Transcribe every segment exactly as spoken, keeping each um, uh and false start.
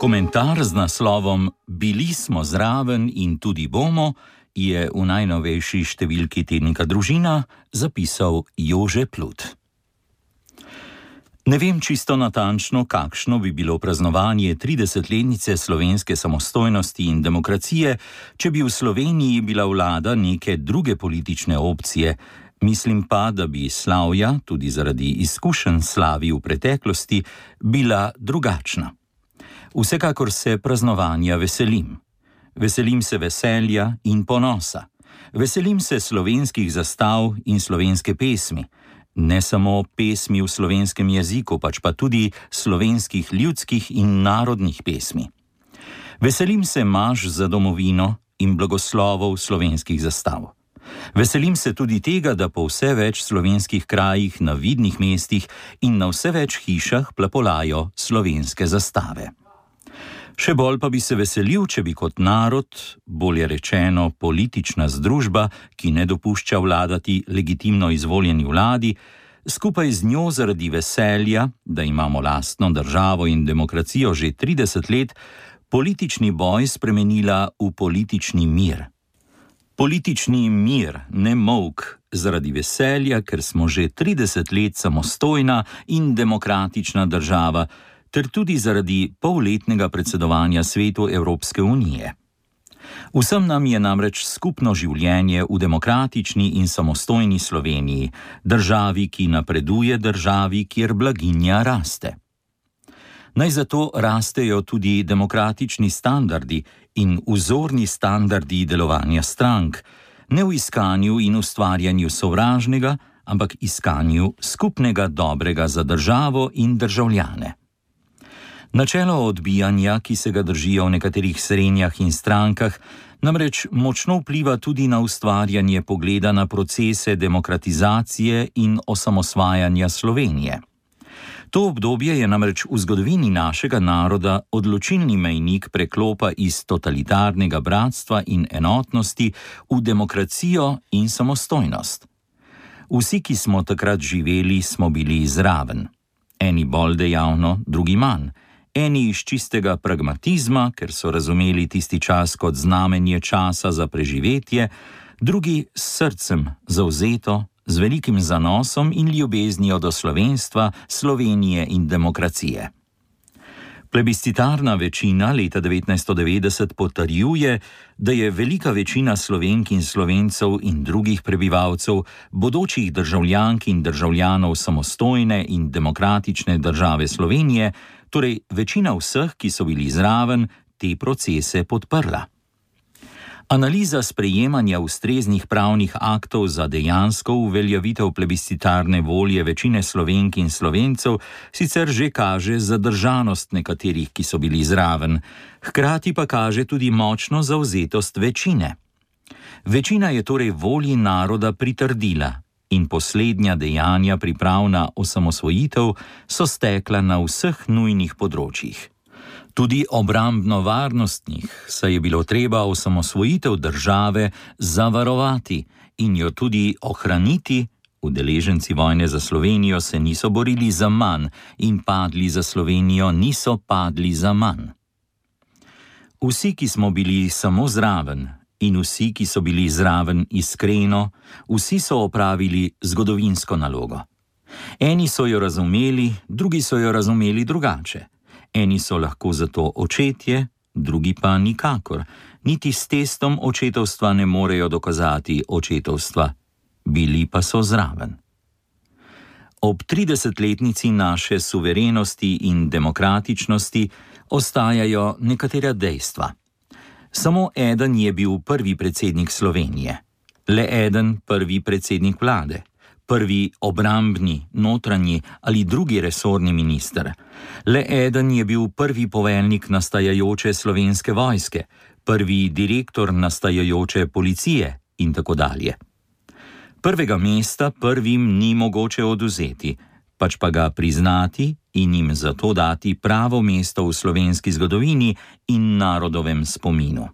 Komentar z naslovom Bili smo zraven in tudi bomo je v najnovejši številki tednika Družina zapisal Jože Plut. Ne vem čisto natančno, kakšno bi bilo praznovanje tridesetletnice slovenske samostojnosti in demokracije, če bi v Sloveniji bila vlada neke druge politične opcije. Mislim pa, da bi slavja, tudi zaradi izkušenj slavi v preteklosti, bila drugačna. Vsekakor se praznovanja veselim. Veselim se veselja in ponosa. Veselim se slovenskih zastav in slovenske pesmi. Ne samo pesmi v slovenskem jeziku, pač pa tudi slovenskih ljudskih in narodnih pesmi. Veselim se maž za domovino in blagoslovov slovenskih zastav. Veselim se tudi tega, da po vse več slovenskih krajih, na vidnih mestih in na vse več hišah plapolajo slovenske zastave. Še bolj pa bi se veselil, če bi kot narod, bolje rečeno politična združba, ki ne dopušča vladati legitimno izvoljeni vladi, skupaj z njo zaradi veselja, da imamo lastno državo in demokracijo že trideset let, politični boj spremenila v politični mir. Politični mir, ne molk, zaradi veselja, ker smo že trideset let samostojna in demokratična država, ter tudi zaradi polletnega predsedovanja Svetu Evropske unije. Vsem nam je namreč skupno življenje v demokratični in samostojni Sloveniji, državi, ki napreduje, državi, kjer blaginja raste. Naj zato rastejo tudi demokratični standardi in vzorni standardi delovanja strank, ne v iskanju in ustvarjanju sovražnega, ampak iskanju skupnega dobrega za državo in državljane. Načelo odbijanja, ki se ga držijo v nekaterih srenjah in strankah, namreč močno vpliva tudi na ustvarjanje pogleda na procese demokratizacije in osamosvajanja Slovenije. To obdobje je namreč v zgodovini našega naroda odločilni mejnik preklopa iz totalitarnega bratstva in enotnosti v demokracijo in samostojnost. Vsi, ki smo takrat živeli, smo bili zraven. Eni bolj dejavno, drugi manj. Eni iz čistega pragmatizma, ker so razumeli tisti čas kot znamenje časa za preživetje, drugi s srcem zavzeto, z velikim zanosom in ljubeznijo do slovenstva, Slovenije in demokracije. Plebiscitarna večina leta devetnajststo devetdeset potrjuje, da je velika večina Slovenk in Slovencev in drugih prebivalcev, bodočih državljank in državljanov samostojne in demokratične države Slovenije, torej večina vseh, ki so bili zraven, te procese podprla. Analiza sprejemanja ustreznih pravnih aktov za dejansko uveljavitev plebiscitarne volje večine Slovenk in Slovencev sicer že kaže zadržanost nekaterih, ki so bili zraven, hkrati pa kaže tudi močno zavzetost večine. Večina je torej volji naroda pritrdila in poslednja dejanja priprav na osamosvojitev so stekla na vseh nujnih področjih. Tudi obrambno-varnostnih, saj je bilo treba osamosvojitev države zavarovati in jo tudi ohraniti. Udeleženci vojne za Slovenijo se niso borili za manj in padli za Slovenijo niso padli za manj. Vsi, ki smo bili samo zraven in vsi, ki so bili zraven iskreno, vsi so opravili zgodovinsko nalogo. Eni so jo razumeli, drugi so jo razumeli drugače. Eni so lahko zato očetje, drugi pa nikakor. Niti s testom očetovstva ne morejo dokazati očetovstva. Bili pa so zraven. Ob tridesetletnici naše suverenosti in demokratičnosti ostajajo nekatera dejstva. Samo eden je bil prvi predsednik Slovenije. Le eden prvi predsednik vlade. Prvi obrambni, notranji ali drugi resorni minister. Le eden je bil prvi poveljnik nastajajoče slovenske vojske, prvi direktor nastajajoče policije in tako dalje. Prvega mesta prvim ni mogoče odvzeti, pač pa ga priznati in jim zato dati pravo mesto v slovenski zgodovini in narodovem spominu.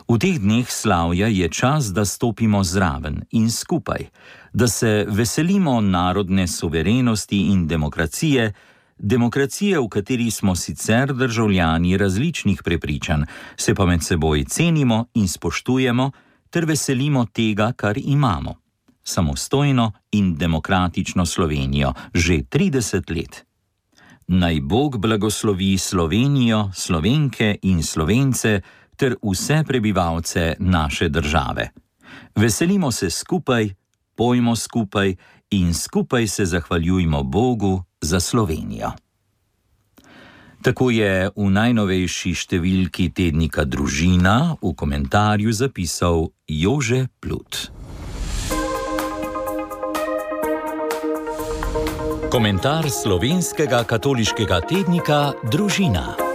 V teh dneh slavja je čas, da stopimo zraven in skupaj, da se veselimo narodne suverenosti in demokracije, Demokracije, v kateri smo sicer državljani različnih prepričanj, se pa med seboj cenimo in spoštujemo ter veselimo tega, kar imamo. Samostojno in demokratično Slovenijo že trideset let. Naj Bog blagoslovi Slovenijo, Slovenke in Slovence ter vse prebivalce naše države. Veselimo se skupaj, pojmo skupaj in skupaj se zahvaljujmo Bogu za Slovenijo. Tako je v najnovejši številki tednika Družina v komentarju zapisal Jože Plut. Komentar slovenskega katoliškega tednika Družina.